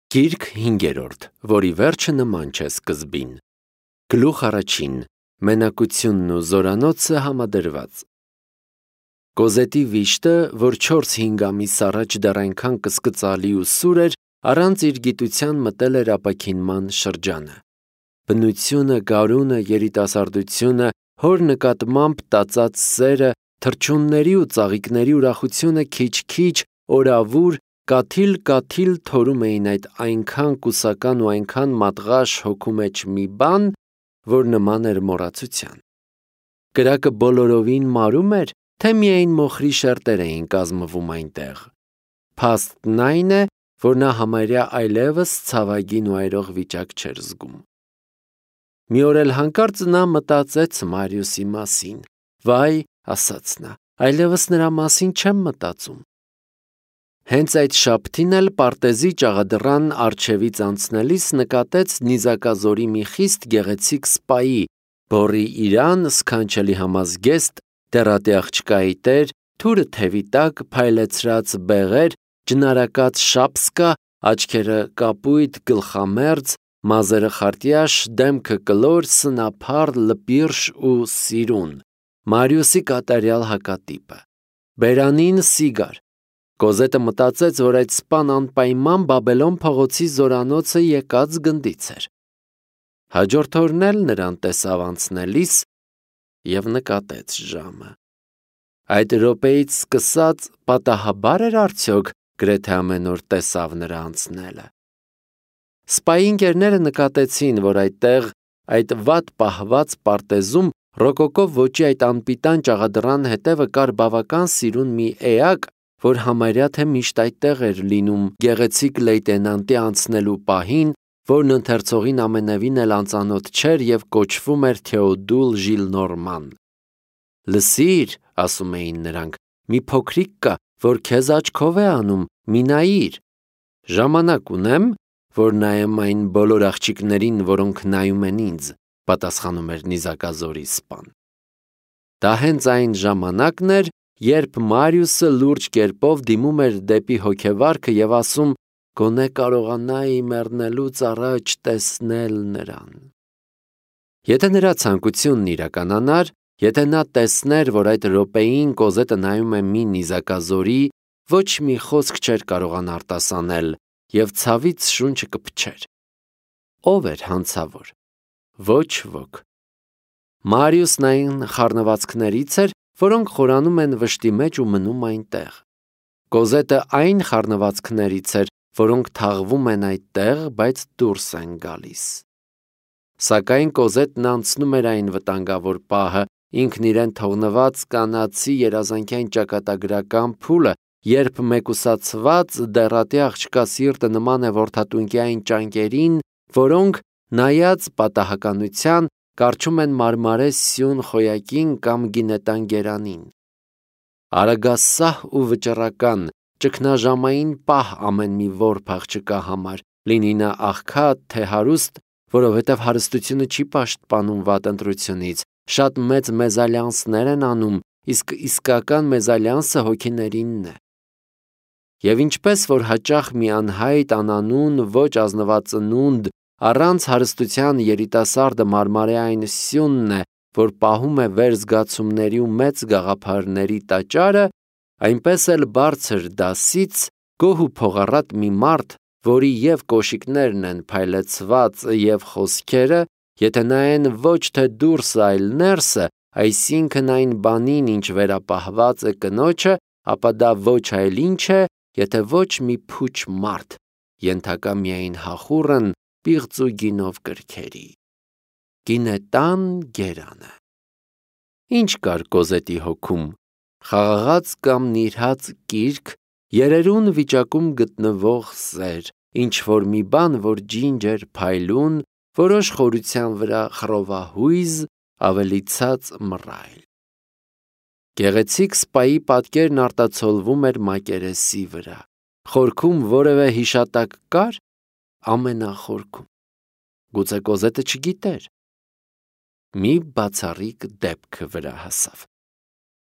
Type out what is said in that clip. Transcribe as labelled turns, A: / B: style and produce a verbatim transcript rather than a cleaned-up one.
A: Գիրք հինգերորդ, որի վերջը նման չէ սկզբին։ Գլուխ առաջին. Մենակությունն ու զորանոցը համադրված։ Կոզետի վիշտը, որ չորս-հինգ ամիս առաջ դեռ այնքան կսկծալի ու սուր էր, առանց իր գիտության մտել էր ապաքինման շրջանը։ Բնությունը, գարունը, երիտասարդությունը, հոր նկատմամբ տածած սերը, թռչունների ու ծաղիկների ուրախությունը քիչ-քիչ, օրավուր, կաթիլ-կաթիլ թորում էին այդ այնքան կուսական ու այնքան մատղաշ հոգու մեջ մի բան, որ նման էր մոռացության։ Կրակը բոլորովին մարում էր, թե միայն մոխրի շերտեր էին կազմվում այնտեղ։ Փաստն այն է, որ նա համարյա այլևս ցավագին ու այրող վիճակ չէր զգում։ Մի օր էլ հանկարծ նա մտածեց Մարիուսի մասին։ Վայ, ասաց նա, այլևս նրա մասին չեմ մտածում։ Հենց այդ շաբթին էլ պարտեզի ճաղադրան առջևից անցնելիս նկատեց նիզակազորի մի խիստ գեղեցիկ սպայի, բոռի իրան, սքանչելի համազգեստ, դեռատի աղջկայի տեր, թուրը թևի տակ, փայլեցրած բեղեր, ջնարակած շապսկա, աչքերը կապույտ, գլխամերձ, մազերը խարտյաշ, դեմքը կլոր, սնափառ, լպիրշ ու սիրուն, Մարիուսի կատարյալ հակատիպը։ Բերանին սիգար։ Կոզետը մտածեց, որ այդ սպան անպայման Բաբելոն փողոցի զորանոցը եկած գնդից էր։ Հաջորդ օրն էլ նրան տեսավ անցնելիս և նկատեց ժամը։ Այդ րոպեից սկսած պատահաբար էր արդյոք գրեթե ամեն օր տեսավ նրա անցնելը։ Սպայի ընկերները նկատեցին, որ այդտեղ, այդ վատ պահված պարտեզում, ռոկոկո ոճի այդ անպիտան ճաղադրան հետևը կար բավական սիրուն մի էակ, որ համարյա թե միշտ այդտեղ էր լինում գեղեցիկ լեյտենանտի անցնելու պահին, որն ընթերցողին ամենևին էլ անծանոթ չէր և կոչվում էր Թեոդուլ Ժիլնորման։ Լսիր, ասում էին նրանք, մի փոքրիկ կա, որ քեզ աչքով է անում, մի նայիր։ Ժամանակ ունեմ, որ նայեմ այն բոլոր աղջիկներին, որոնք նայում են ինձ, պատասխանում էր նիզակազորի սպան։ Դա հենց այն ժամանակն էր, երբ Մարիուսը լուրջ կերպով դիմում էր դեպի հոգևարքը և ասում. «Գոնե կարողանայի մեռնելուց առաջ տեսնել նրան»։ Եթե նրա ցանկությունն իրականանար, եթե նա տեսներ, որ այդ րոպեին Կոզետը նայում է մի նիզակազորի, ոչ մի խոսք չէր կարողան արտասանել և ցավից շունչը կփչեր։ Ո՞վ էր հանցավոր։ Ոչ ոք։ Մարիուսն այն խառնվածքներից էր, որոնք խորանում են վշտի մեջ ու մնում այնտեղ։ Կոզետը այն խառնվածքներից էր, որոնք թաղվում են այդտեղ, բայց դուրս են գալիս։ Սակայն Կոզետն անցնում էր այն վտանգավոր պահը, ինքն իրեն թողնված կանացի երազանքային ճակատագրական փուլը, երբ մեկուսացված դեռատի աղջկա սիրտը նման է որդատունկյային ճանկերին, որոնք, նայած պատահականության, կառչում են մարմարե սյուն խոյակին կամ գինետան գերանին։ Արագասահ ու վճռական, ճգնաժամային պահ ամեն մի որբ աղջկա համար, լինի նա աղքատ, թե հարուստ, որովհետև հարստությունը չի պաշտպանում վատ ընտրությունից, շատ մեծ մեզալյանսներ են անում, իսկ իսկական մեզալյանսը հոգիներինն է։ Եվ ինչպես որ հաճախ մի անհայտ, անանուն, ոչ ազնված ծնունդ, առանց հարստության երիտասարդը մարմարե այն սյունն է, որ պահում է վերզգացումների ու մեծ գաղափարների տաճարը, այնպես էլ բարձր դասից գոհ ու փողառատ մի մարդ, որի և կոշիկներն են փայլեցված և խոսքերը, եթե նայեն ոչ թե դուրսը, այլ ներսը, այսինքն այն բանին, ինչ վերապահված է կնոջը, ապա դա ոչ այլ ինչ է, եթե ոչ մի փուչ մարդ, ենթակա միայն հախուռն, պիղծ ու գինով կրքերի։ Գինետան գերանը։ Ինչ կար Կոզետի հոգում։ Խաղաղած կամ նիրհած կիրք, երերուն վիճակում գտնվող սեր, ինչ-որ մի բան, որ ջինջ էր փայլուն, որոշ խորության վրա խռովահույզ, ավելի ցած մռայլ։ Գեղեցիկ սպայի պատկերն արտացոլվում էր մակերեսի վրա։ Խորքում որևէ հիշատակ կար։ Ամենախորքում։ Գուցե Կոզետը չգիտեր։ Մի բացառիկ դեպք վրա հասավ։